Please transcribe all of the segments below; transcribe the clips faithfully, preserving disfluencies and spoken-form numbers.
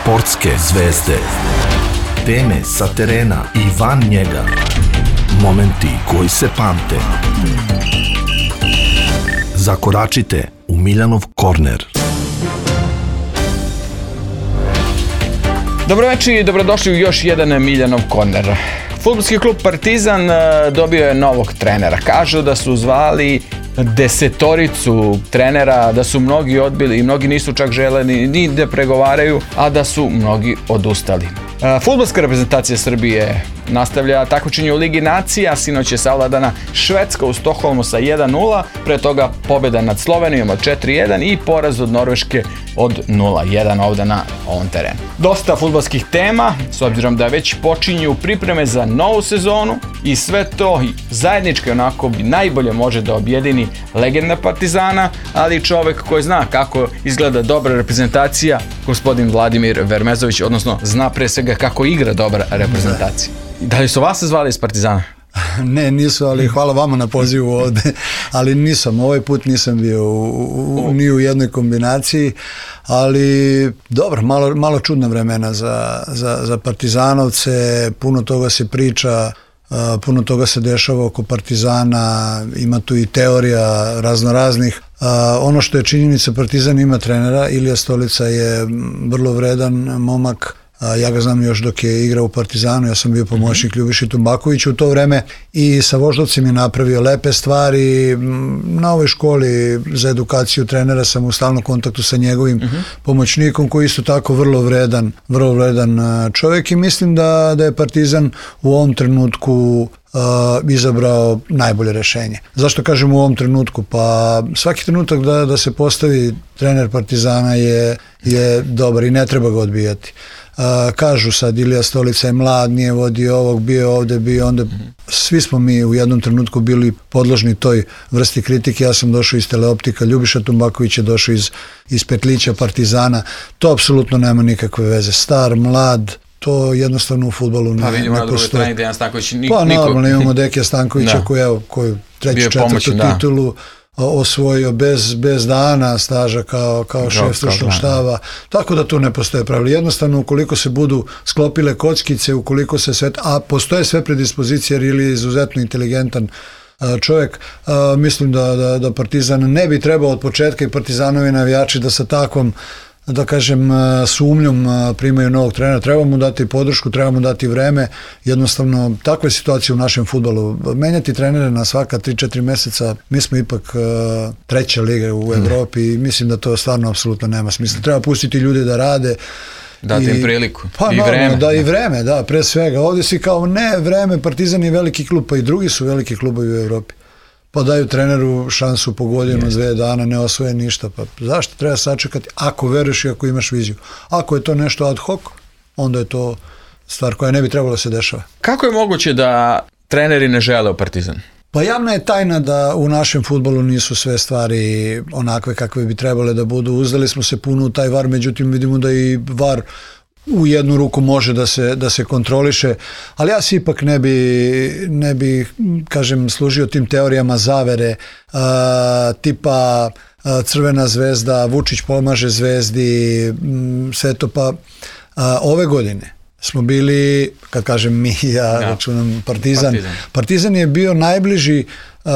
Sportske zvezde. Teme sa terena i van njega. Momenti koji se pamte. Zakoračite u Miljanov korner. Dobroveče i dobrodošli u još jedan Miljanov korner. Fudbalski klub Partizan dobio je novog trenera. Kažu da su zvali desetoricu trenera, da su mnogi odbili i mnogi nisu čak želeni ni da pregovaraju, a da su mnogi odustali. Fudbalska reprezentacija Srbije nastavlja takmičenje u Ligi nacija. Sinoć je savladana Švedska u Stokholmu sa jedan nula, pre toga pobjeda nad Slovenijom od četiri jedan i poraz od Norveške od nula jedan ovdje na ovom terenu. Dosta fudbalskih tema, s obzirom da već počinju pripreme za novu sezonu i sve to zajednički onako najbolje može da objedini legenda Partizana, ali i čovjek koji zna kako izgleda dobra reprezentacija, gospodin Vladimir Vermezović, odnosno zna pre svega kako igra dobra reprezentacija. Da li su vas zvali iz Partizana? Ne, nisu, ali hvala vama na pozivu ovde, ali nisam, ovaj put nisam bio u, u, ni u jednoj kombinaciji, ali dobro, malo, malo čudna vremena za, za, za Partizanovce, puno toga se priča, uh, puno toga se dešava oko Partizana, ima tu i teorija raznoraznih. Uh, ono što je činjenica, Partizan ima trenera, Ilija Stolica je vrlo vredan momak. Ja ga znam još dok je igrao u Partizanu, ja sam bio pomoćnik Ljubiši Tumbakoviću u to vreme i sa Voždovcem je napravio lepe stvari. Na ovoj školi za edukaciju trenera sam u stalnom kontaktu sa njegovim uh-huh. pomoćnikom koji isto tako vrlo vredan, vrlo vredan čovjek i mislim da, da je Partizan u ovom trenutku Uh, izabrao najbolje rešenje. Zašto kažem u ovom trenutku? Pa svaki trenutak da, da se postavi trener Partizana je, je dobar i ne treba ga odbijati. Uh, kažu sad, Ilija Stolica je mlad, nije vodio ovog, bio ovde, bio onda. Svi smo mi u jednom trenutku bili podložni toj vrsti kritike. Ja sam došao iz Teleoptika, Ljubiša Tumbaković je došao iz, iz Petlića Partizana. To apsolutno nema nikakve veze. Star, mlad, to jednostavno u fudbalu ne, pa vidimo ne na drugoj postoji. strani Dejan Stanković niko... Pa normalno imamo Dekija Stankovića koji je koju treću, četvrtu da. titulu osvojio bez, bez dana staža kao, kao šef stručnog štaba. Tako da tu ne postoje pravila. Jednostavno ukoliko se budu sklopile kockice, ukoliko se sve, a postoje sve predispozicije jer je izuzetno inteligentan čovjek, mislim da, da, da Partizan ne bi trebao od početka i Partizanovi navijači da sa takvom da kažem sumnjom primaju novog trenera, treba mu dati podršku, treba mu dati vreme, jednostavno takva je situacija u našem fudbalu. Menjati trenere na svaka tri četiri mjeseca, mi smo ipak uh, treća liga u Evropi i mislim da to stvarno apsolutno nema smisla. Treba pustiti ljude da rade, dati im priliku pa, i vreme. vreme. Da, i vreme, da, pre svega. Ovdje si kao ne vreme, Partizan je veliki klub, pa i drugi su veliki klubovi u Evropi. Pa daju treneru šansu po godinu, dve dana, ne osvoje ništa. Pa zašto treba sačekati ako veruješ i ako imaš viziju? Ako je to nešto ad hoc, onda je to stvar koja ne bi trebalo da se dešava. Kako je moguće da treneri ne žele u Partizan? Pa javna je tajna da u našem fudbalu nisu sve stvari onakve kakve bi trebale da budu. Uzdali smo se puno u taj var, međutim vidimo da i var u jednu ruku može da se, da se kontroliše, ali ja se ipak ne bi, ne bi kažem, služio tim teorijama zavere, uh, tipa uh, Crvena zvezda, Vučić pomaže zvezdi, um, sve to pa uh, ove godine smo bili, kad kažem mi, ja ja. računam Partizan. Partizan. Partizan je bio najbliži uh,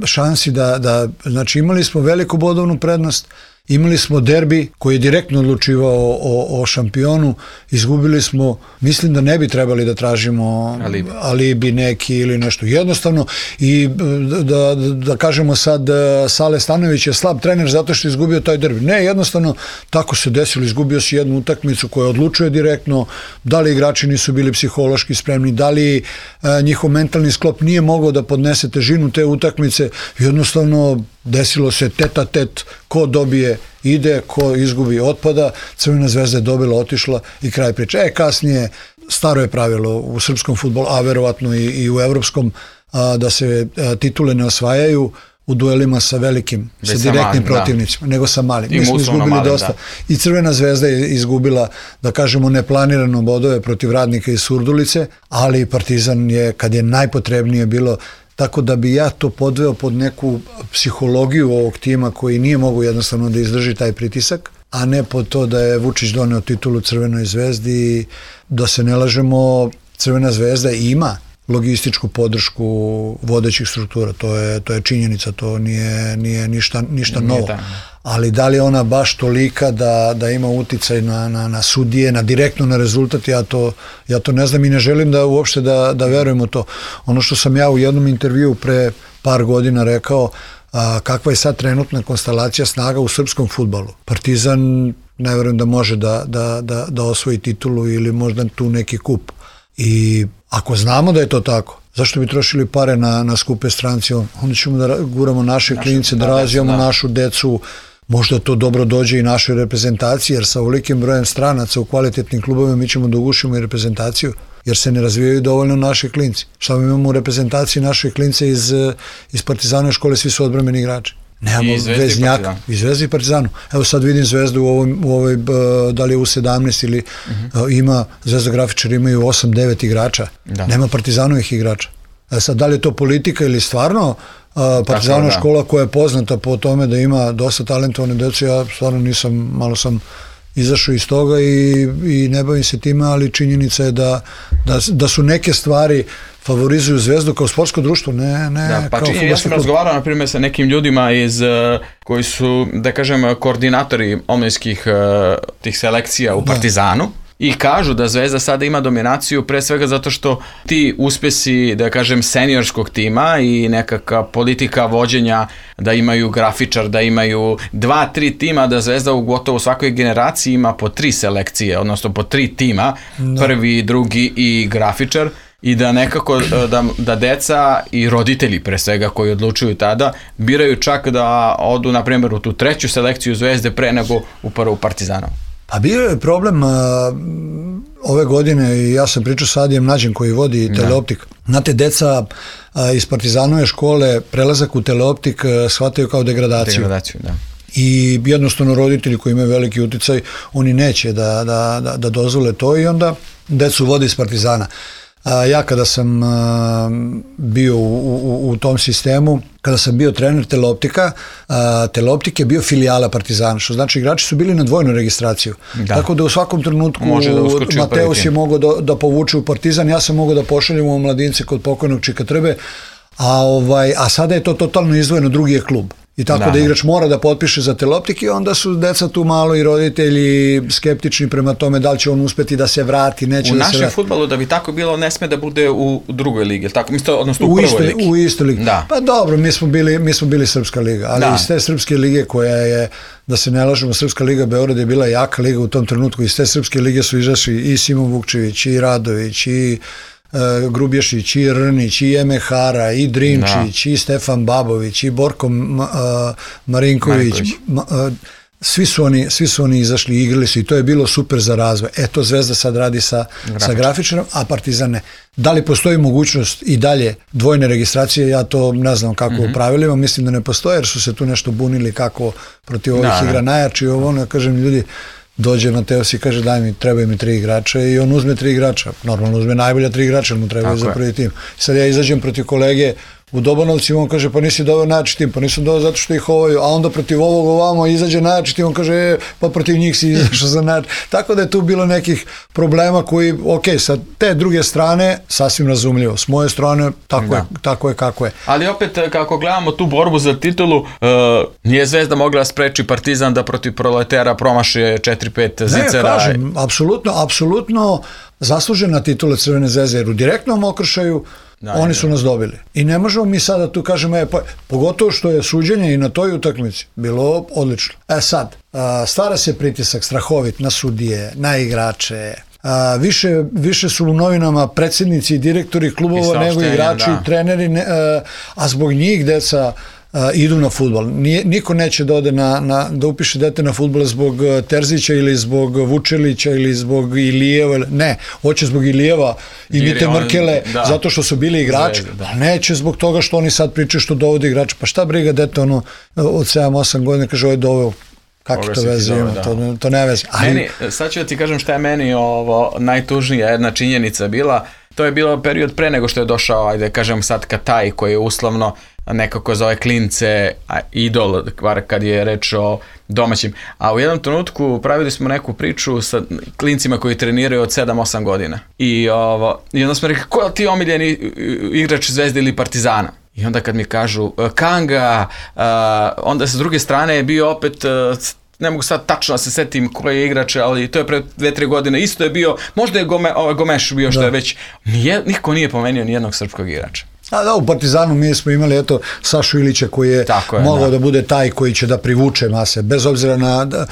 šansi da, da, znači imali smo veliku bodovnu prednost, imali smo derbi koji je direktno odlučivao o, o šampionu, izgubili smo, mislim da ne bi trebali da tražimo alibi, alibi neki ili nešto jednostavno i da, da, da kažemo sad Sale Stanojević je slab trener zato što je izgubio taj derbi. Ne, jednostavno tako se desilo, izgubio si jednu utakmicu koja odlučuje direktno, da li igrači nisu bili psihološki spremni, da li a, njihov mentalni sklop nije mogao da podnese težinu te utakmice, jednostavno desilo se teta tet, ko dobije ide, ko izgubi otpada, Crvena zvezda je dobila, otišla i kraj priče. E, kasnije, staro je pravilo u srpskom fudbalu, a verovatno i, i u evropskom, a, da se a, titule ne osvajaju u duelima sa velikim, Be sa direktnim malim, protivnicima, da. nego sa malim. Mi smo izgubili malim, dosta. Da. I Crvena zvezda je izgubila, da kažemo, neplanirano bodove protiv Radnika iz Surdulice, ali Partizan je, kad je najpotrebnije bilo, tako da bi ja to podveo pod neku psihologiju ovog tima koji nije mogao jednostavno da izdrži taj pritisak. a ne po to da je Vučić doneo titulu Crvenoj zvezdi. Da se ne lažemo, Crvena zvezda ima logističku podršku vodećih struktura, to je, to je činjenica, to nije, nije ništa, ništa nije novo. Tamo. Ali da li je ona baš tolika da, da ima uticaj na, na, na sudije, na direktno na rezultat, ja to, ja to ne znam i ne želim da uopšte da, da verujem u to. Ono što sam ja u jednom intervjuu pre par godina rekao, a, kakva je sad trenutna konstelacija snaga u srpskom fudbalu. Partizan ne verujem da može da, da, da, da osvoji titulu ili možda tu neki kup. I ako znamo da je to tako, zašto bi trošili pare na, na skupe stranci? Onda ćemo da guramo naše Naši, klince, da, da razvijamo da. našu decu, možda to dobro dođe i našoj reprezentaciji, jer sa ovolikim brojem stranaca u kvalitetnim klubovima mi ćemo da ugušimo i reprezentaciju, jer se ne razvijaju dovoljno naši klinci. Šta mi imamo u reprezentaciji naše klince iz, iz Partizanove škole, svi su odbrambeni igrači. Nemamo veznjaka, i Zvezdi i Partizanu. Evo sad vidim Zvezdu u ovoj, u ovoj da li je u sedamnaest ili uh-huh. ima, Zvezda grafičari imaju osam devet igrača, da. Nema Partizanovih igrača. E sad, da li je to politika ili stvarno Partizanova da. škola koja je poznata po tome da ima dosta talentovane dece, ja stvarno nisam, malo sam izašao iz toga i, i ne bavim se time, ali činjenica je da, da, da su neke stvari favorizuju Zvezdu kao sportsko društvo, ne, ne da, pa kao činjen, ja sam razgovarao na primjer sa nekim ljudima iz, koji su, da kažem, koordinatori omladinskih tih selekcija u Partizanu. Da. I kažu da Zvezda sada ima dominaciju pre svega zato što ti uspesi, da kažem, seniorskog tima i nekakva politika vođenja, da imaju grafičar, da imaju dva, tri tima, da Zvezda u gotovo svakoj generaciji ima po tri selekcije, odnosno po tri tima, no. prvi, drugi i grafičar, i da nekako da, da deca i roditelji pre svega koji odlučuju tada biraju čak da odu na primjer u tu treću selekciju Zvezde pre nego u prvu Partizanu. A bio je problem uh, ove godine, i ja sam pričao sa Adijem Nađem koji vodi da. Teleoptik. Znate, deca uh, iz Partizanove škole prelazak u Teleoptik uh, shvataju kao degradaciju. Degradaciju, da. I jednostavno roditelji koji imaju veliki uticaj, oni neće da, da, da, da dozvole to i onda decu vode iz Partizana. A, ja kada sam a, bio u, u, u tom sistemu, kada sam bio trener Teleoptika, a, Teleoptik je bio filijala Partizana, što znači igrači su bili na dvojnu registraciju. Da. Tako da u svakom trenutku da Mateus je mogao da, da povuče u Partizan, ja sam mogao da pošaljem u mladince kod pokojnog Čika Trbe, a, ovaj, a sada je to totalno izdvojeno, drugi je klub. I tako da, da igrač mora da potpiše za Teleoptik i onda su deca tu malo i roditelji skeptični prema tome da li će on uspeti da se vrati, neće u da se vrati. U našem fudbalu da bi tako bilo ne sme da bude u drugoj ligi, tako? Misto, odnosno u, u prvoj ligi. U istoj ligi. Da. Pa dobro, mi smo bili, mi smo bili Srpska liga, ali da. Iz te Srpske lige koja je, da se ne lažemo, Srpska liga Beograd je bila jaka liga u tom trenutku, iz te Srpske lige su izašli i Simo Vukčević, i Radović, i Uh, Grubješić, i Rnić, i Emehara, i Drinčić, da. I Stefan Babović, i Borko uh, Marinković, ma, uh, svi su oni, svi su oni izašli i igrali su i to je bilo super za razvoj. Eto, Zvezda sad radi sa, sa grafičarom, a Partizan ne. Da li postoji mogućnost i dalje dvojne registracije, ja to ne znam kako mm-hmm. u pravilima, mislim da ne postoje, jer su se tu nešto bunili kako protiv ovih da, igra da. Najjači, ovo ono, kažem, ljudi, dođe Mateus i kaže daj mi, trebaju mi tri igrača i on uzme tri igrača, normalno uzme najbolja tri igrača, mu trebaju za prvi tim. Sad ja izađem protiv kolege u Dobanovci, on kaže pa nisi doveo najjači tim, pa nisam doveo zato što ih ovaju, a onda protiv ovog ovamo izađe najjači tim, on kaže e, pa protiv njih si izašao za najjači. Tako da je tu bilo nekih problema koji, ok, sa te druge strane sasvim razumljivo, s moje strane tako, je, tako je kako je. Ali opet kako gledamo tu borbu za titulu, uh, nije Zvezda mogla spreči Partizan da protiv Proletera promaši četiri pet zicera. Ne, kažem, apsolutno, apsolutno zaslužena titula Crvene zvezde, jer u direktnom okršaju da, oni su nas dobili. I ne možemo mi sada tu kažemo, e, pa, pogotovo što je suđenje i na toj utakmici bilo odlično. E sad, a, stvara se pritisak strahovit na sudije, na igrače, a, više, više su u novinama predsjednici i direktori klubova nego igrači da. I treneri, ne, a, a zbog njih deca Uh, idu na fudbal. Niko neće da ode na, na, da upiše dete na fudbal zbog Terzića ili zbog Vučelića ili zbog Ilijeva. Ne, hoće zbog Ilijeva i Mite Mrkele, da. Zato što su bili igrači. Da. A neće zbog toga što oni sad pričaju što dovode igrače. Pa šta briga dete ono od sedam osam godina kaže ovo je doveo. Kakve to veze ima, da. to, to ne veze. Ali... Meni, sad ću ti kažem šta je meni ovo najtužnija jedna činjenica bila. To je bilo period pre nego što je došao, ajde kažem sad Kataj, koji je uslovno nekako za ove klince a, idol, kad je reč o domaćim. A u jednom trenutku pravili smo neku priču sa klincima koji treniraju od sedam osam godina. I, ovo, i onda smo rekli, ko je ti omiljeni igrač Zvezde ili Partizana? I onda kad mi kažu Kanga, uh, onda sa druge strane je bio opet, uh, ne mogu sad tačno da se setim koji je igrač, ali to je pre dve tri godine, isto je bio, možda je Gome, ovaj Gomeš bio što da. je već, nije, niko nije pomenio nijednog srpskog igrača. A da, u Partizanu mi smo imali eto Sašu Ilića koji je, je mogao da. da bude taj koji će da privuče mase, bez obzira na, da,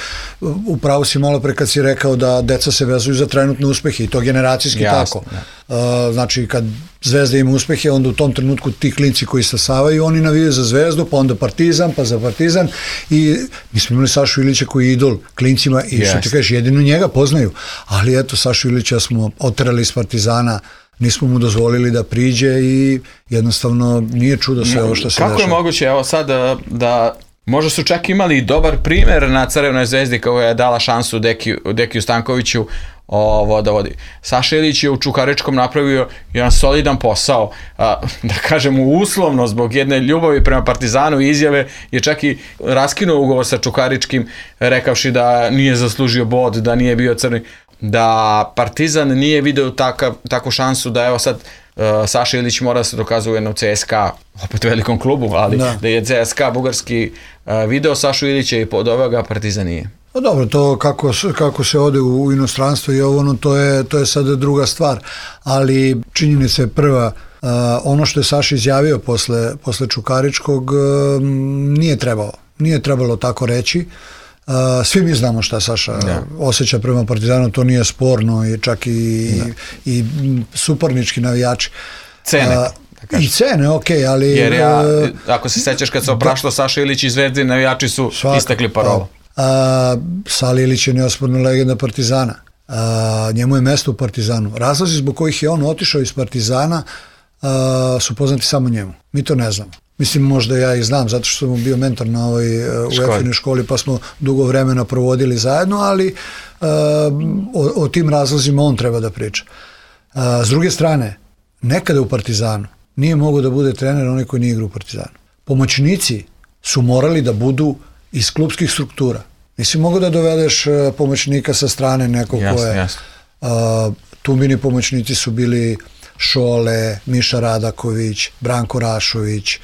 upravo si malo pre kad si rekao da deca se vezuju za trenutne uspehe i to generacijski Jasne, tako. Uh, znači kad Zvezda ima uspehe, onda u tom trenutku ti klinci koji stasavaju, oni navijaju za Zvezdu, pa onda Partizan, pa za Partizan i mi smo imali Sašu Ilića koji je idol klincima i što ti kažeš, jedino njega poznaju, ali eto Sašu Ilića smo oterali iz Partizana, nismo mu dozvolili da priđe i jednostavno nije čudo sve ovo što se Kako dešava. Kako je moguće, evo sad, da, da možda su čak imali dobar primer na Crvenoj Zvezdi koja je dala šansu Dekiju, Dekiju Stankoviću ovo da vodi. Saša Ilić je u Čukaričkom napravio jedan solidan posao, a, da kažemo uslovno zbog jedne ljubavi prema Partizanu i izjave je čak i raskinuo ugovor sa Čukaričkim rekavši da nije zaslužio bod, da nije bio crni, da Partizan nije video takav, takvu šansu da evo sad uh, Saša Ilić mora da se dokazuje u C S K A, opet velikom klubu, ali da, da je C S K A bugarski uh, video Sašu Ilića i podoveo ga Partizan nije. Pa dobro, to kako, kako se ode u, u inostranstvo i ovo, ono, to je, to je sad druga stvar, ali činjenica je prva, uh, ono što je Saša izjavio posle, posle Čukaričkog uh, nije trebalo, nije trebalo tako reći. Uh, svi mi znamo šta Saša da. osjeća prema Partizanu, to nije sporno i čak i, da. i, i suparnički navijači. Cene. Uh, I cene, ok, ali... Jer ja, ako se sećaš kad se opraštao Saša Ilić i Zvezdi, navijači su svaka, istakli parolu. Uh, Sali Ilić je neosporna legenda Partizana. Uh, njemu je mesto u Partizanu. Razlozi zbog kojih je on otišao iz Partizana uh, su poznati samo njemu. Mi to ne znamo. Mislim, možda ja i znam, zato što sam bio mentor na ovoj uh, u Efinoj školi, pa smo dugo vremena provodili zajedno, ali uh, o, o tim razlozima on treba da priča. Uh, s druge strane, nekada u Partizanu nije mogao da bude trener onaj koji nije igrao u Partizanu. Pomoćnici su morali da budu iz klubskih struktura. Nisi mogao da dovedeš uh, pomoćnika sa strane nekog jasne, koje... Jasne. Uh, Tumbini pomoćnici su bili Šole, Miša Radaković, Branko Rašović.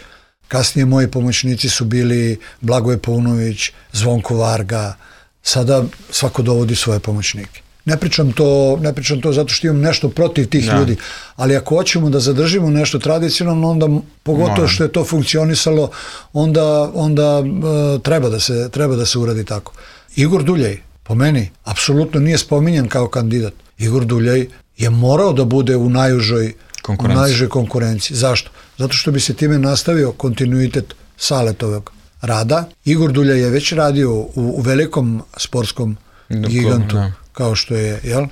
Kasnije moji pomoćnici su bili Blagoje Paunović, Zvonko Varga. Sada svako dovodi svoje pomoćnike. Ne pričam to, ne pričam to zato što imam nešto protiv tih ja. ljudi, ali ako hoćemo da zadržimo nešto tradicionalno, onda pogotovo no. što je to funkcionisalo, onda, onda uh, treba, da se, treba da se uradi tako. Igor Duljaj, po meni, apsolutno nije spominjan kao kandidat. Igor Duljaj je morao da bude u najužoj u najžoj konkurenciji. Zašto? Zato što bi se time nastavio kontinuitet Saletovog rada. Igor Duljaj je već radio u, u velikom sportskom Doko, gigantu, ne. kao što je, jel?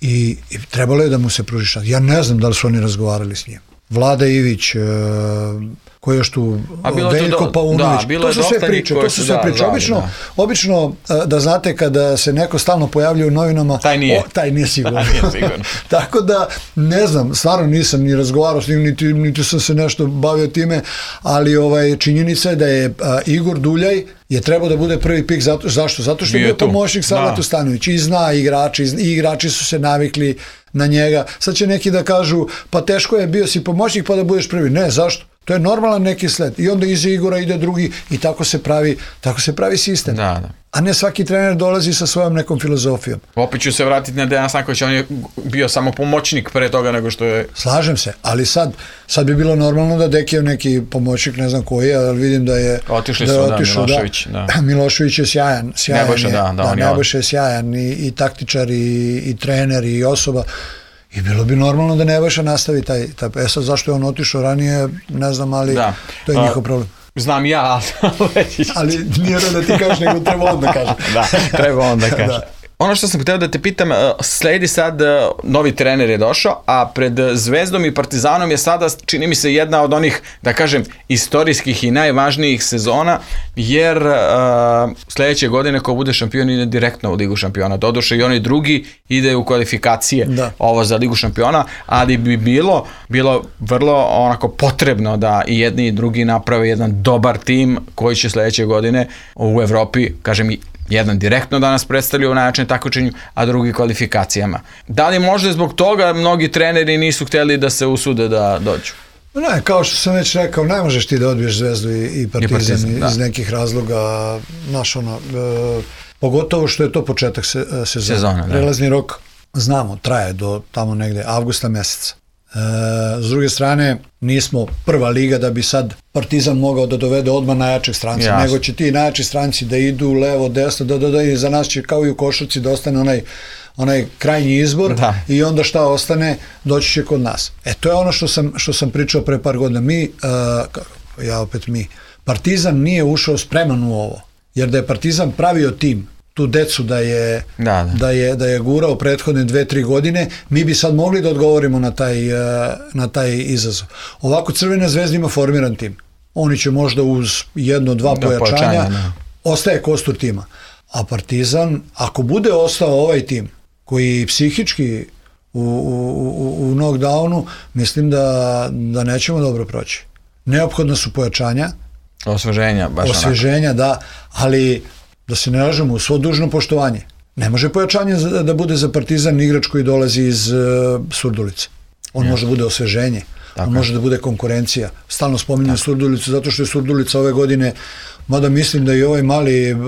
I, i trebalo je da mu se pruži šans. Ja ne znam da li su oni razgovarali s njim. Vlada Ivić, e, ko je još tu, Veljko Paunović, to su sve priče, to su sve priče. Obično, da. obično, da znate kada se neko stalno pojavljuje u novinama, taj nije, o, taj nije sigurno. Taj nije sigurno. Tako da, ne znam, stvarno nisam ni razgovarao s njim, niti, niti sam se nešto bavio time, ali ovaj, činjenica je da je a, Igor Duljaj je trebao da bude prvi pik, zato, zašto? Zato što je bio pomoćnik Salatu Stanović i zna igrači, i igrači su se navikli na njega. Sad će neki da kažu, pa teško je, bio si pomoćnik pa da budeš prvi. Ne, zašto? To je normalan neki sled. I onda iza Igora ide drugi i tako se pravi, tako se pravi sistem. Da, da. A ne svaki trener dolazi sa svojom nekom filozofijom. Opet ću se vratiti na Dejan Stanković, on je bio samo pomoćnik pre toga nego što je... Slažem se, ali sad, sad bi bilo normalno da Dekijev neki pomoćnik, ne znam koji je, ali vidim da je... Otišli da su, je da, otišao, Milošević. Da. Da. Milošević je sjajan. sjajan Nebojša, je, da, da, da Nebojša je sjajan i, i taktičar i, i trener i osoba. I bilo bi normalno da Nebojša nastavi taj, taj... E sad, zašto je on otišao ranije, ne znam, ali da. to je njihov problem. Znam ja, ali... ali nije da ti kažeš, nego treba on da kaže. Da, treba on da kaže. Da. Ono što sam hteo da te pitam, sledi sad, novi trener je došao, a pred Zvezdom i Partizanom je sada, čini mi se, jedna od onih, da kažem, istorijskih i najvažnijih sezona, jer uh, sledeće godine ko bude šampion ide direktno u Ligu šampiona. Doduše i oni drugi ide u kvalifikacije da. Ovo za Ligu šampiona, ali bi bilo, bilo vrlo onako potrebno da i jedni i drugi naprave jedan dobar tim koji će sledeće godine u Evropi, kažem, jedan direktno danas predstavlja u najjačem takmičenju, a drugi kvalifikacijama. Da li možda zbog toga mnogi treneri nisu hteli da se usude da dođu? Ne, kao što sam već rekao, ne možeš ti da odbiješ Zvezdu i, i Partizan, I partizan iz nekih razloga, znaš ono, e, pogotovo što je to početak se, sezona. sezona Prelazni rok, znamo, traje do tamo negde avgusta meseca. E, s druge strane, nismo prva liga da bi sad Partizan mogao da dovede odmah najjačeg stranca, Jasne. nego će ti najjači stranci da idu levo, desno, da, da, da, i za nas će kao i u košarci da ostane onaj, onaj krajnji izbor da. i onda šta ostane, doći će kod nas. E, to je ono što sam, što sam pričao pre par godina. Mi, uh, ja opet mi, Partizan nije ušao spreman u ovo, jer da je Partizan pravio tim, tu decu da je, da, da. Da je, da je gurao prethodne dve, tri godine, mi bi sad mogli da odgovorimo na taj, na taj izazov. Ovako Crvena Zvezda ima formiran tim. Oni će možda uz jedno, dva da, pojačanja, pojačanja ostaje kostur tima. A Partizan, ako bude ostao ovaj tim, koji psihički u, u, u, u knockdownu, mislim da, da nećemo dobro proći. Neophodna su pojačanja. Osveženja, baš Osveženja, onako. Da, ali da se ne lažemo, u svo dužno poštovanje. Ne može pojačanje da bude za Partizan igrač koji dolazi iz uh, Surdulice. On ja. može da bude osveženje. Tako. On može da bude konkurencija. Stalno spominjem Surdulicu zato što je Surdulica ove godine, mada mislim da i ovaj mali uh,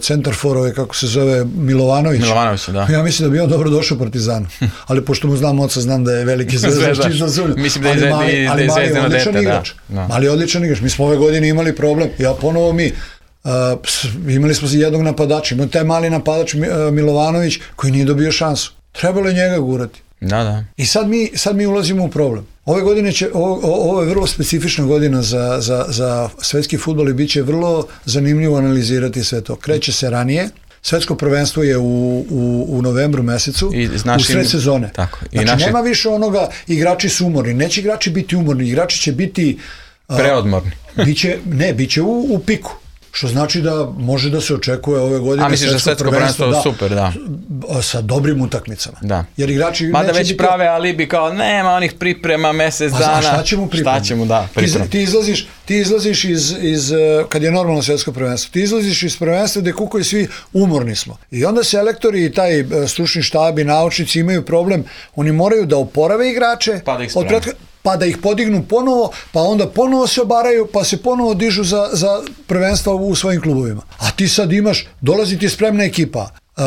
centarfor, ovaj, kako se zove, Milovanović. Milovanović, da. Ja mislim da bi on dobro došao Partizanu. Ali pošto mu znam oca, znam da je veliki zvezdaš čista zulj. Mislim da je, ali, ali, ali mali odličan dete, igrač. Da. Mali odličan igrač. Mi smo ove godine imali problem. Ja ponovo mi. Uh, imali smo jednog napadača. Imali taj mali napadač uh, Milovanović koji nije dobio šansu. Trebalo je njega gurati. Da, da. I sad mi, sad mi ulazimo u problem. Ove godine će, ovo, ovo je vrlo specifična godina za, za, za svetski fudbal i bit će vrlo zanimljivo analizirati sve to. Kreće se ranije, svetsko prvenstvo je u, u, u novembru mesecu, I našim, u sred sezone. Tako. I znači naši... nema više onoga, igrači su umorni, neće igrači biti umorni, igrači će biti... Uh, Preodmorni. biće, ne, bit će u, u piku. Što znači da može da se očekuje ove godine. A misliš da svetsko prvenstvo da, super, da. Sa dobrim utakmicama. Da. Jer igrači mada već biti... prave alibi kao nema onih priprema mesec dana. A šta će mu priprema? Šta će mu, da, priprema. Ti, ti izlaziš, ti izlaziš iz, iz, kad je normalno svetsko prvenstvo, ti izlaziš iz prvenstva gde kukoju svi umorni smo. I onda selektori i taj stručni štab i naučnici imaju problem, oni moraju da oporave igrače pa da ih od pretka... pa da ih podignu ponovo, pa onda ponovo se obaraju, pa se ponovo dižu za, za prvenstva u svojim klubovima. A ti sad imaš, dolazi ti spremna ekipa. Uh,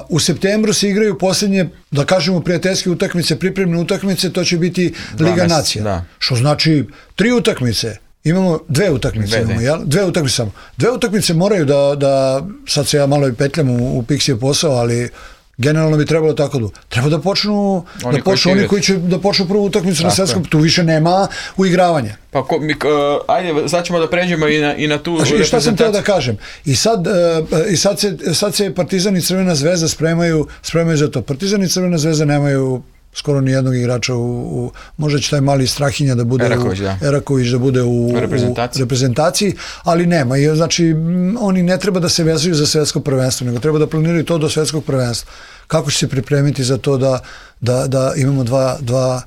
u septembru se igraju posljednje, da kažemo, prijateljske utakmice, pripremne utakmice, to će biti Liga Nacija. Da. Što znači tri utakmice. Imamo dve utakmice, dve, imamo, jel? Dve utakmice samo. Dve utakmice moraju da, da sad se ja malo i petljam u, u Pixijev posao, ali generalno bi trebalo tako da. Treba da počnu oni da počnu koji oni koji će da počnu prvu utakmicu na svetskom, tu više nema uigravanja. Pa ko, mi, uh, ajde, sad ćemo da pređemo i na, i na tu reprezentaciju. I šta sam teo da kažem? I sad, uh, i sad, se, sad se Partizan i Crvena Zvezda spremaju, spremaju za to. Partizan i Crvena Zvezda nemaju skoro ni jednog igrača u, u možda će taj mali Strahinja da bude Eraković, u, da. Eraković da bude u, u, reprezentaciji. u reprezentaciji, ali nema. I, znači, oni ne treba da se vezuju za svetsko prvenstvo, nego treba da planiraju to do svetskog prvenstva. Kako će se pripremiti za to da, da, da imamo dva, dva,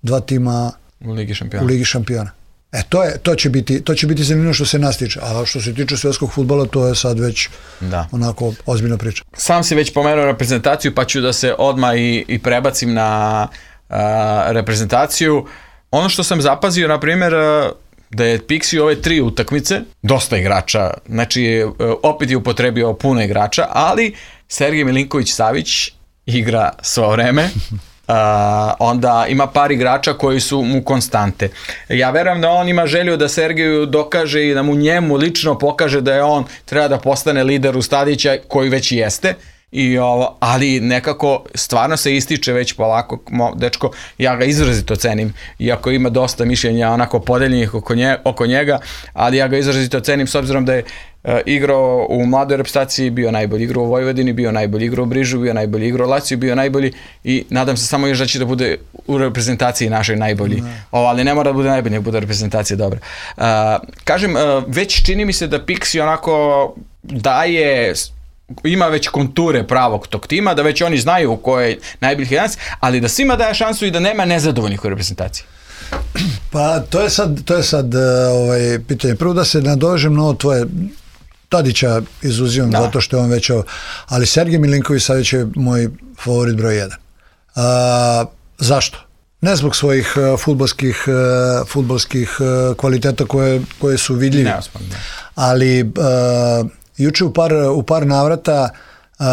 dva tima u Ligi šampiona. U Ligi šampiona. E, to, je, to, će biti, to će biti zanimljivo što se nas tiče. A što se tiče svetskog fudbala, to je sad već da. onako ozbiljna priča. Sam si već pomenuo reprezentaciju, pa ću da se odmah i, i prebacim na a, reprezentaciju. Ono što sam zapazio, na primjer, da je Pixi ove tri utakmice, dosta igrača, znači opet je upotrebio puno igrača, ali Sergej Milinković-Savić igra svo vreme. Uh, onda ima par igrača koji su mu konstante. Ja verujem da on ima želju da Sergeju dokaže i da mu njemu lično pokaže da je on treba da postane lider u Stadića, koji već jeste. I ovo, ali nekako stvarno se ističe već polako, mo, dečko, ja ga izrazito cenim, iako ima dosta mišljenja onako podeljenih oko, nje, oko njega, ali ja ga izrazito cenim s obzirom da je igrao u mladoj reprezentaciji, bio najbolji igrao u Vojvodini, bio najbolji igrao u Brižu, bio najbolji igrao u Laciju, bio najbolji i nadam se samo još da će da bude u reprezentaciji našoj najbolji. Ne. O, ali ne mora da bude najbolji, ne bude reprezentacija dobra. Uh, kažem, uh, već čini mi se da Pixi onako daje, ima već konture pravog tog tima, da već oni znaju ko je najboljih jedanaest, ali da svima daje šansu i da nema nezadovoljnih u reprezentaciji. Pa to je sad, to je sad ovaj, pitanje. Prvo da se nadovežem na ovo tvoje, Tadića izuzimam zato što je on već ovo, ali Sergej Milinković-Savić je moj favorit broj jedan. A, zašto? Ne zbog svojih uh, fudbalskih, uh, fudbalskih uh, kvaliteta koje, koje su vidljivi, ne, ali uh, juče u par, u par navrata uh,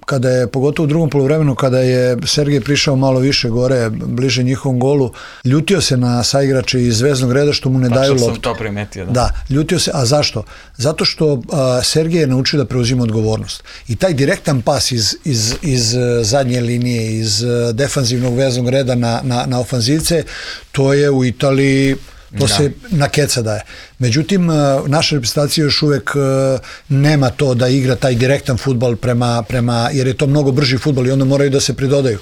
kada je, pogotovo u drugom poluvremenu, kada je Sergej prišao malo više gore, bliže njihovom golu, ljutio se na saigrače iz zvezdnog reda što mu ne daju loptu. Sam to primetio, da. Da, ljutio se, a zašto? Zato što uh, Sergej je naučio da preuzima odgovornost. I taj direktan pas iz, iz, iz zadnje linije, iz defanzivnog veznog reda na, na, na ofanzivce, to je u Italiji, to da. se na keca daje. Međutim, naša reprezentacija još uvek nema to da igra taj direktan fudbal prema, prema, jer je to mnogo brži fudbal i onda moraju da se pridodaju.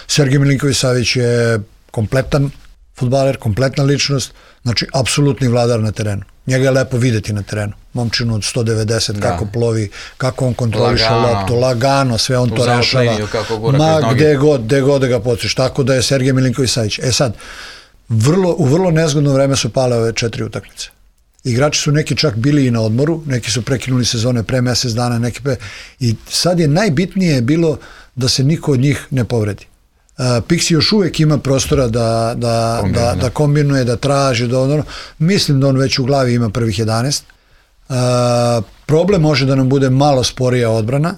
Sergej Milinković-Savić je kompletan fudbaler, kompletna ličnost, znači apsolutni vladar na terenu. Njega je lepo videti na terenu. Momčinu od sto devedeset, da. kako plovi, kako on kontroliše loptu, lagano, sve on to rešava. Ma gde god, gde god da ga pociš. Tako da je Sergej Milinković-Savić. E sad, Vrlo, u vrlo nezgodno vreme su pale ove četiri utakmice. Igrači su neki čak bili i na odmoru, neki su prekinuli sezone pre mesec dana, neki pre... i sad je najbitnije bilo da se niko od njih ne povredi. Uh, Pixi još uvek ima prostora da, da, da, da kombinuje, da traži, da ono, mislim da on već u glavi ima prvih jedanaest. Uh, problem može da nam bude malo sporija odbrana,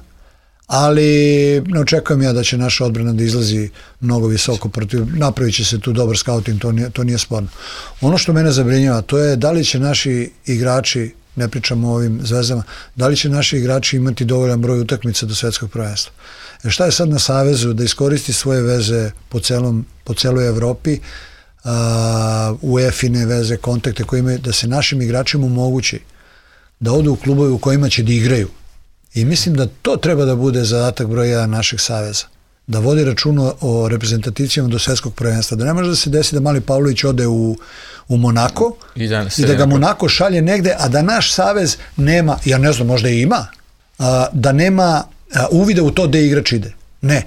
ali ne očekujem ja da će naša odbrana da izlazi mnogo visoko protiv, napravit će se tu dobar scouting, to nije, to nije sporno. Ono što mene zabrinjava, to je da li će naši igrači, ne pričamo o ovim zvezdama, da li će naši igrači imati dovoljan broj utakmica do svetskog prvenstva. E šta je sad na Savezu da iskoristi svoje veze po, celom, po celoj Evropi, uh, U E F I-ne veze, kontakte koje imaju, da se našim igračima omogući da odu u klubove u kojima će da igraju. I mislim da to treba da bude zadatak broj jedan našeg saveza. Da vodi račun o reprezentacijama do svetskog prvenstva. Da ne može da se desi da mali Pavlović ode u, u Monako i da, i da ga Monako šalje negde, a da naš savez nema, ja ne znam, možda i ima, a, da nema a, uvida u to gde igrač ide. Ne.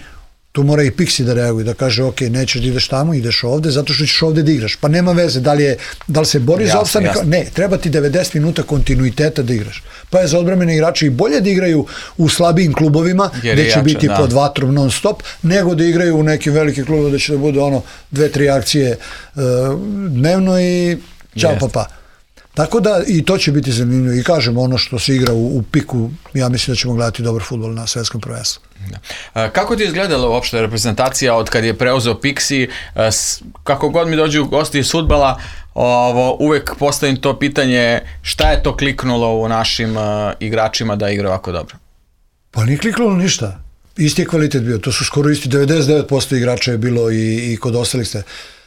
Tu mora i Pixi da reaguje, da kaže ok, nećeš da ideš tamo, ideš ovde, zato što ćeš ovde da igraš. Pa nema veze, da li, je, da li se bori jasne, za opstanak? Ne, treba ti devedeset minuta kontinuiteta da igraš. Pa je za odbrambene igrače i bolje da igraju u slabijim klubovima, jer gde će jače, biti da. pod vatrom non stop, nego da igraju u nekim velikim klubovima, da će da bude ono dve, tri akcije uh, dnevno i čao pa pa. Tako da i to će biti zanimljivo i kažem ono što se igra u, u piku, ja mislim da ćemo gledati dobar fudbal na svetskom prvenstvu. Da. Kako ti je izgledala uopšte reprezentacija od kad je preuzeo Pixi? Kako god mi dođu gosti iz fudbala, ovo, uvek postavim to pitanje šta je to kliknulo u našim uh, igračima da igra ovako dobro? Pa nije kliknulo ništa. Isti je kvalitet bio. To su skoro isti, devedeset devet posto igrača je bilo i, i kod ostalih ste.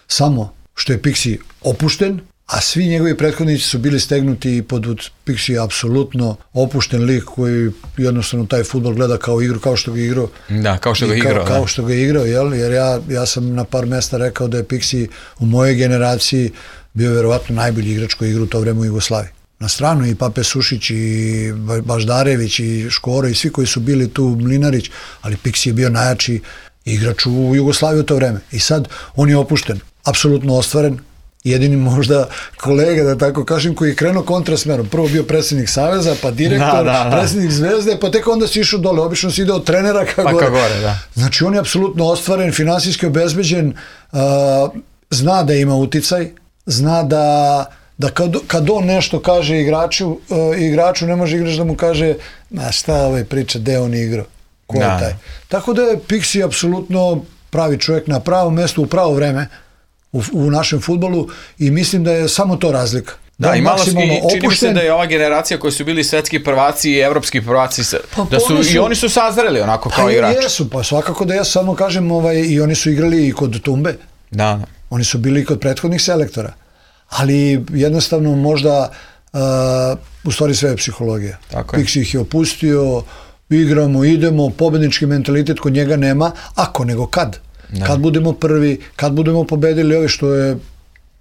Samo što je Pixi opušten, a svi njegovi prethodnici su bili stegnuti pod Pixi je apsolutno opušten lik koji jednostavno taj fudbal gleda kao igru, kao što ga je igrao. Da, kao što ga je igrao. Kao, kao što ga je igrao, jel? Jer ja, ja sam na par mesta rekao da je Pixi u mojoj generaciji bio verovatno najbolji igrač koji igra u to vreme u Jugoslaviji. Na stranu i Pape Sušić i Baždarević i Škoro i svi koji su bili tu, Mlinarić, ali Pixi je bio najjači igrač u Jugoslaviji u to vreme. I sad on je opušten, apsolutno ostvaren, jedini možda kolega, da tako kažem, koji je krenuo kontrasmerom. Prvo bio predsjednik Saveza, pa direktor, da, da, da. predsjednik Zvezde, pa tek onda si išao dole. Obično si ide od trenera ka pa gore. Ka gore da. Znači on je apsolutno ostvaren, finansijski obezbeđen, uh, zna da ima uticaj, zna da, da kad, kad on nešto kaže igraču, uh, igraču ne može igrač da mu kaže ma šta ovaj priča, gde on igrao, ko je taj. Tako da je Pixi apsolutno pravi čovjek na pravom mjestu u pravo vreme U, u našem fudbalu i mislim da je samo to razlika. Da, da i malo čini mi se da je ova generacija koji su bili svetski prvaci i evropski prvaci, pa, da su, su, i oni su sazreli onako kao pa, igrači. Jesu, pa svakako da ja samo kažem, ovaj, i oni su igrali i kod Tumbe. Da. Oni su bili i kod prethodnih selektora. Ali jednostavno možda uh, u stvari sve je psihologija. Tako je. Pixi ih je opustio, igramo, idemo, pobednički mentalitet kod njega nema, ako nego kad. Da. Kad budemo prvi, kad budemo pobedili ove, što je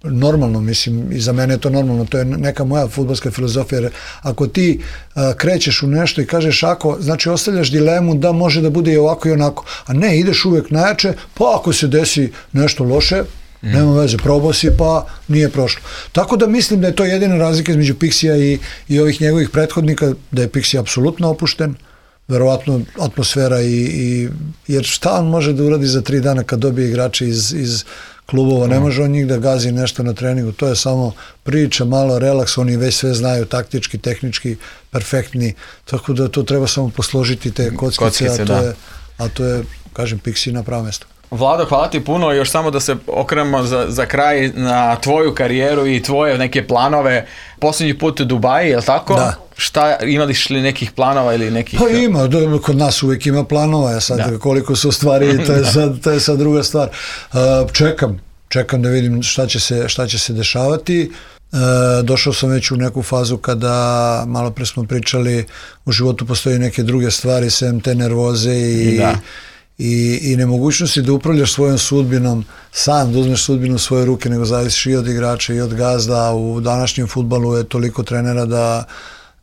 normalno, mislim, i za mene je to normalno, to je neka moja fudbalska filozofija, jer ako ti uh, krećeš u nešto i kažeš ako, znači ostavljaš dilemu da može da bude i ovako i onako, a ne, ideš uvek najjače, pa ako se desi nešto loše, mm. nema veze, probao si pa nije prošlo. Tako da mislim da je to jedina razlika između Pixija i, i ovih njegovih prethodnika, da je Pixi apsolutno opušten, verovatno atmosfera i, i jer šta on može da uradi za tri dana kad dobije igrače iz, iz klubova, ne može on njih da gazi nešto na treningu, to je samo priča, malo relaks, oni već sve znaju, taktički, tehnički, perfektni, tako da to treba samo posložiti te kockice, kockice a, to je, a to je, kažem, Pixi na pravo mesto. Vlado, hvala ti puno, još samo da se okrenemo za, za kraj na tvoju karijeru i tvoje neke planove. Posljednji put u Dubaji, je li tako? Da. Šta, imališ li nekih planova ili nekih... Pa ima, kod nas uvijek ima planova, ja sad da. Koliko su stvari, to je sad, to je sad druga stvar. Uh, čekam, čekam da vidim šta će se, šta će se dešavati. Uh, došao sam već u neku fazu kada, malo pre smo pričali, u životu postoji neke druge stvari, sem te nervoze i... Da. I, i nemogućnosti da upravljaš svojom sudbinom, sam da uzmeš sudbinu u svoje ruke, nego zavisiš i od igrača i od gazda. U današnjem fudbalu je toliko trenera da,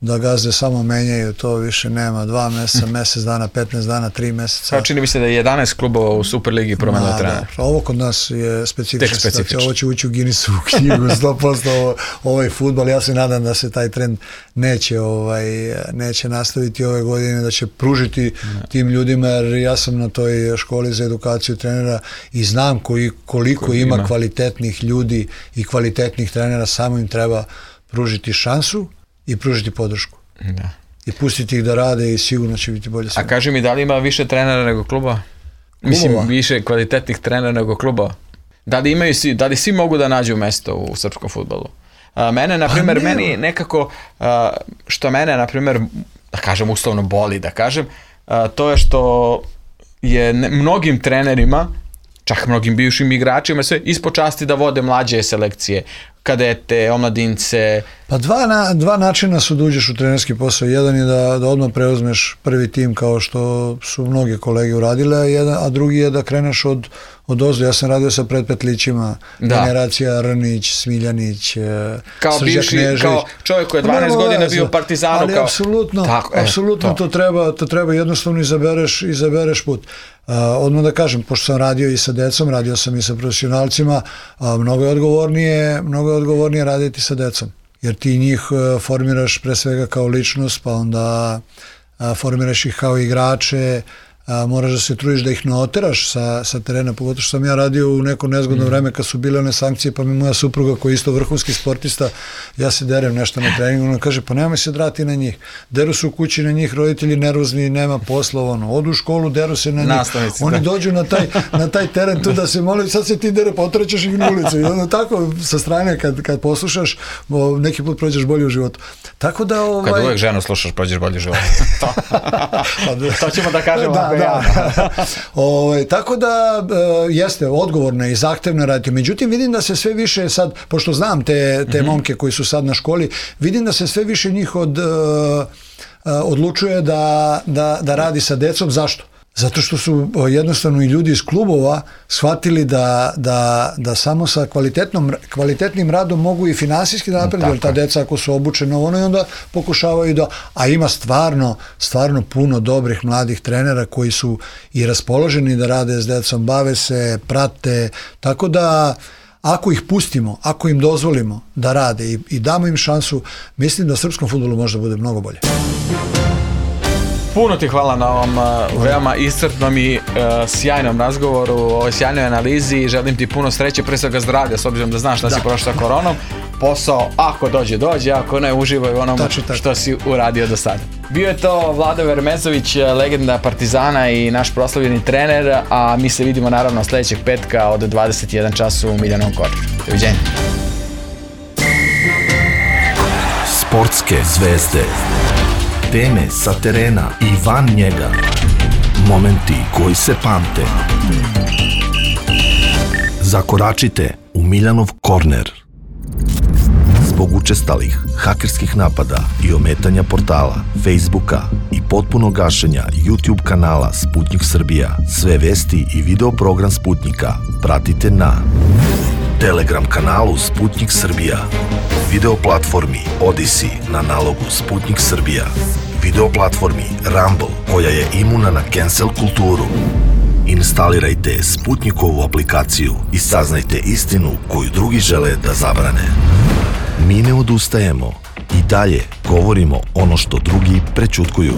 da gazde samo menjaju, to više nema, dva meseca, mesec dana, petnaest dana, tri meseca. Kao čini mi se da je jedanaest klubova u Superligi promenilo trenera. Ovo kod nas je specifična situacija, ovo će ući u Guinnessovu knjigu, sto posto ovo, ovaj fudbal, ja se nadam da se taj trend neće, ovaj, neće nastaviti ove godine, da će pružiti ne. tim ljudima, jer ja sam na toj školi za edukaciju trenera i znam koji, koliko Koji ima, ima kvalitetnih ljudi i kvalitetnih trenera, samo im treba pružiti šansu i pružiti podršku. Da. I pustiti ih da rade i sigurno će biti bolje. A kaži mi, da li ima više trenera nego kluba? Mislim, klubova? Više kvalitetnih trenera nego kluba? Da li imaju svi, da li svi mogu da nađu mesto u srpskom fudbalu? A, mene, na primjer, meni nekako, a, što mene, na primjer, da kažem uslovno boli, da kažem, a, to je što je ne, mnogim trenerima, čak mnogim bivšim igračima, sve ispod časti da vode mlađe selekcije, kadete, omladince. Pa dva, na, dva načina su da uđeš u trenerski posao. Jedan je da, da odmah preuzmeš prvi tim kao što su mnoge kolege uradile, a, jedan, a drugi je da kreneš od, od ozdo. Ja sam radio sa predpetlićima, da. Generacija Rnić, Smiljanić, kao bivši, Knežević. Kao čovjek koji je dvanaest godina bio u Partizanu. Ali kao... apsolutno, Tako, e, apsolutno to. To, treba, to treba jednostavno izabereš, izabereš put. Uh, odmah da kažem, pošto sam radio i sa decom, radio sam i sa profesionalcima, uh, mnogo je odgovornije, mnogo je odgovornije raditi sa decom, jer ti njih uh, formiraš pre svega kao ličnost, pa onda uh, formiraš ih kao igrače, a, moraš da se trudiš da ih ne oteraš sa, sa terena, pogotovo što sam ja radio u neko nezgodno mm. vreme kad su bile one sankcije, pa mi moja supruga koja je isto vrhunski sportista, ja se derem nešto na treningu, ona kaže, pa nemoj se drati na njih, deru su u kući na njih, roditelji nervozni, nema posla, ono, odu u školu, deru se na njih, Nastavnici, oni da. dođu na taj, na taj teren tu da se moli, sad se ti dere, pa otrećeš ih na ulicu i onda tako sa strane kad, kad poslušaš, neki put prođeš bolje u životu. Tako da, ovaj... Kad uvek ženu slušaš, prođeš bolje u životu. To, to ćemo da kažemo. Da, da. Ove, tako da e, jeste odgovorna i zahtevna raditi. Međutim, vidim da se sve više sad, pošto znam te, te mm-hmm. momke koji su sad na školi, vidim da se sve više njih od, e, odlučuje da, da, da radi sa decom. Zašto? Zato što su jednostavno i ljudi iz klubova shvatili da, da, da samo sa kvalitetnom, kvalitetnim radom mogu i finansijski da napreduju, jer ta deca ako su obučena ono i onda pokušavaju da, a ima stvarno, stvarno puno dobrih mladih trenera koji su i raspoloženi da rade s decom, bave se, prate, tako da ako ih pustimo, ako im dozvolimo da rade i, i damo im šansu, mislim da srpskom fudbalu možda bude mnogo bolje. Puno ti hvala na ovom uh, veoma iscrpnom i uh, sjajnom razgovoru, ovoj sjajnoj analizi. Želim ti puno sreće, pre svega zdravlja, s obzirom da znaš da, da. si prošao sa koronom. Posao, ako dođe, dođe, ako ne, uživaj u onom tači, tači. što si uradio do sada. Bio je to Vlado Vermezović, legenda Partizana i naš proslavljeni trener, a mi se vidimo naravno sljedećeg petka od dvadeset jedan čas u Miljanovom korneru. Doviđenja. Sportske zvezde. Teme sa terena i van njega. Momenti koji se pamte. Zakoračite u Miljanov korner. Zbog učestalih hakerskih napada i ometanja portala, Facebooka i potpunog gašenja YouTube kanala Sputnik Srbija, sve vesti i video program Sputnika pratite na Telegram kanalu Sputnik Srbija, video platformi Odyssey na nalogu Sputnik Srbija, video platformi Rumble koja je imuna na cancel kulturu. Instalirajte Sputnikovu aplikaciju i saznajte istinu koju drugi žele da zabrane. Mi ne odustajemo i dalje govorimo ono što drugi prećutkuju.